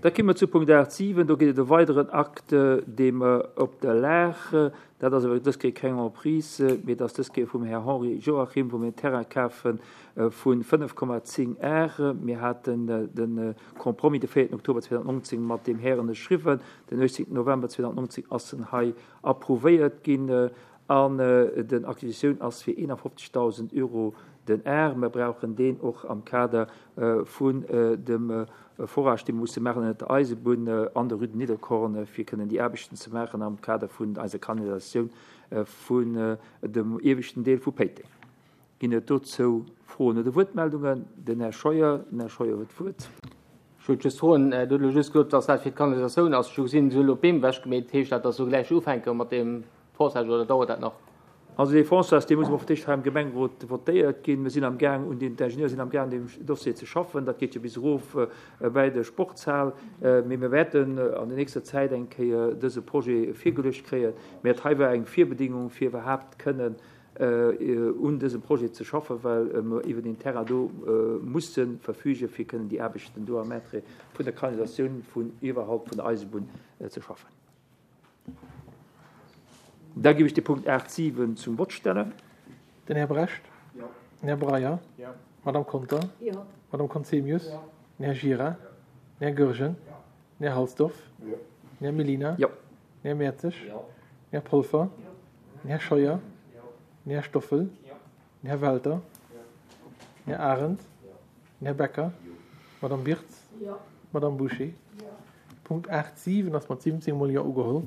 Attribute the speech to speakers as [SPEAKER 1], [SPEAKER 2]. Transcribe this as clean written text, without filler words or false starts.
[SPEAKER 1] Da komme mer zu Punkt 8, 7. Do geet et e weideren Akt, dee mer op der Lag, dat ass awer dës Kéier keng Emprise, mee et ass dës Kéier vum Här Henri Joachim, wou mir en Terrain kafe vu 5,10 Ar. Mir haten de Compromis de 4 Oktober 2019 mat deem Här ënnerschriwwen. Den 18 November 2019 ass en hei approuvéiert ginn an den Acquisitioun ass fir 51.000 Euro den Ar. Mer brauchen deen och am Kader vun dem Forage, dee mer musse maachen ënnert der Eisebunn an der Rue de Nidderkorn, fir kënnen déi Aarbechten ze maachen am Kader vun eiser Kanalisatioun vun dem ieweschten Deel vu Péiteng. Ginn et dozou Froen oder Wuertmeldungen? Den Här Scheuer. Den Här Scheuer huet d'Wuert.
[SPEAKER 2] Ech wollt just froen, Dir hutt elo just gesot, dass dat fir d'Kanalisatioun ass. Ech hu gesinn, se hu elo d'Beem ewechgemeet. Heescht dat, dass se elo gläich ufänke mat deem Forçage oder dauert dat nach?
[SPEAKER 1] Also dee Forçage, dee muss awer fir d'éischt hei am Gemengerot votéiert ginn. Mir sinn am Gaang, un deem, d'Ingenieure sinn am Gaang, un deem Dossier ze schaffen. Dat geet jo bis erof bäi de Sportshal. Mee mir wäerten an der nächster Zäit eng Kéier dëse Projet virgeluecht kréien. Mä dat hei war eng Virbedingung, fir iwwerhaapt kënnen un dësem Projet ze schaffen, well mer iwwer deen Terrain do musse verfügen, fir kënnen déi Aarbechten do am Intérêt vun der Kanalisatioun vun iwwerhalb vun der Eisebunn ze schaffen. Da géif ech de Punkt 8, 7 zum Vott stellen.
[SPEAKER 3] Den Här Brecht.
[SPEAKER 4] Jo.
[SPEAKER 3] Den Här Breyer.
[SPEAKER 4] Jo.
[SPEAKER 3] D'Madame Conter.
[SPEAKER 5] Jo.
[SPEAKER 3] D'Madame Conzemius.
[SPEAKER 4] Jo.
[SPEAKER 3] Den Här Gira.
[SPEAKER 4] Jo.
[SPEAKER 3] Den Här Goergen.
[SPEAKER 4] Jo.
[SPEAKER 3] Den Här Halsdorf.
[SPEAKER 4] Jo.
[SPEAKER 3] Den Här Mellina.
[SPEAKER 1] Jo.
[SPEAKER 3] Den Här Mertzig.
[SPEAKER 4] Jo.
[SPEAKER 3] Den Här Polfer.
[SPEAKER 4] Jo.
[SPEAKER 3] Den Här Scheuer.
[SPEAKER 4] Jo.
[SPEAKER 3] Den Här Stoffel.
[SPEAKER 4] Jo.
[SPEAKER 3] Den Här Welter.
[SPEAKER 4] Jo.
[SPEAKER 3] Den Här Arendt.
[SPEAKER 4] Jo.
[SPEAKER 3] Den Här Becker.
[SPEAKER 4] Jo.
[SPEAKER 3] D'Madame Birtz.
[SPEAKER 5] Jo.
[SPEAKER 3] D'Madame Bouché.
[SPEAKER 5] Jo.
[SPEAKER 3] Punkt 8, 7 ass mat 17 mol Jo ugeholl.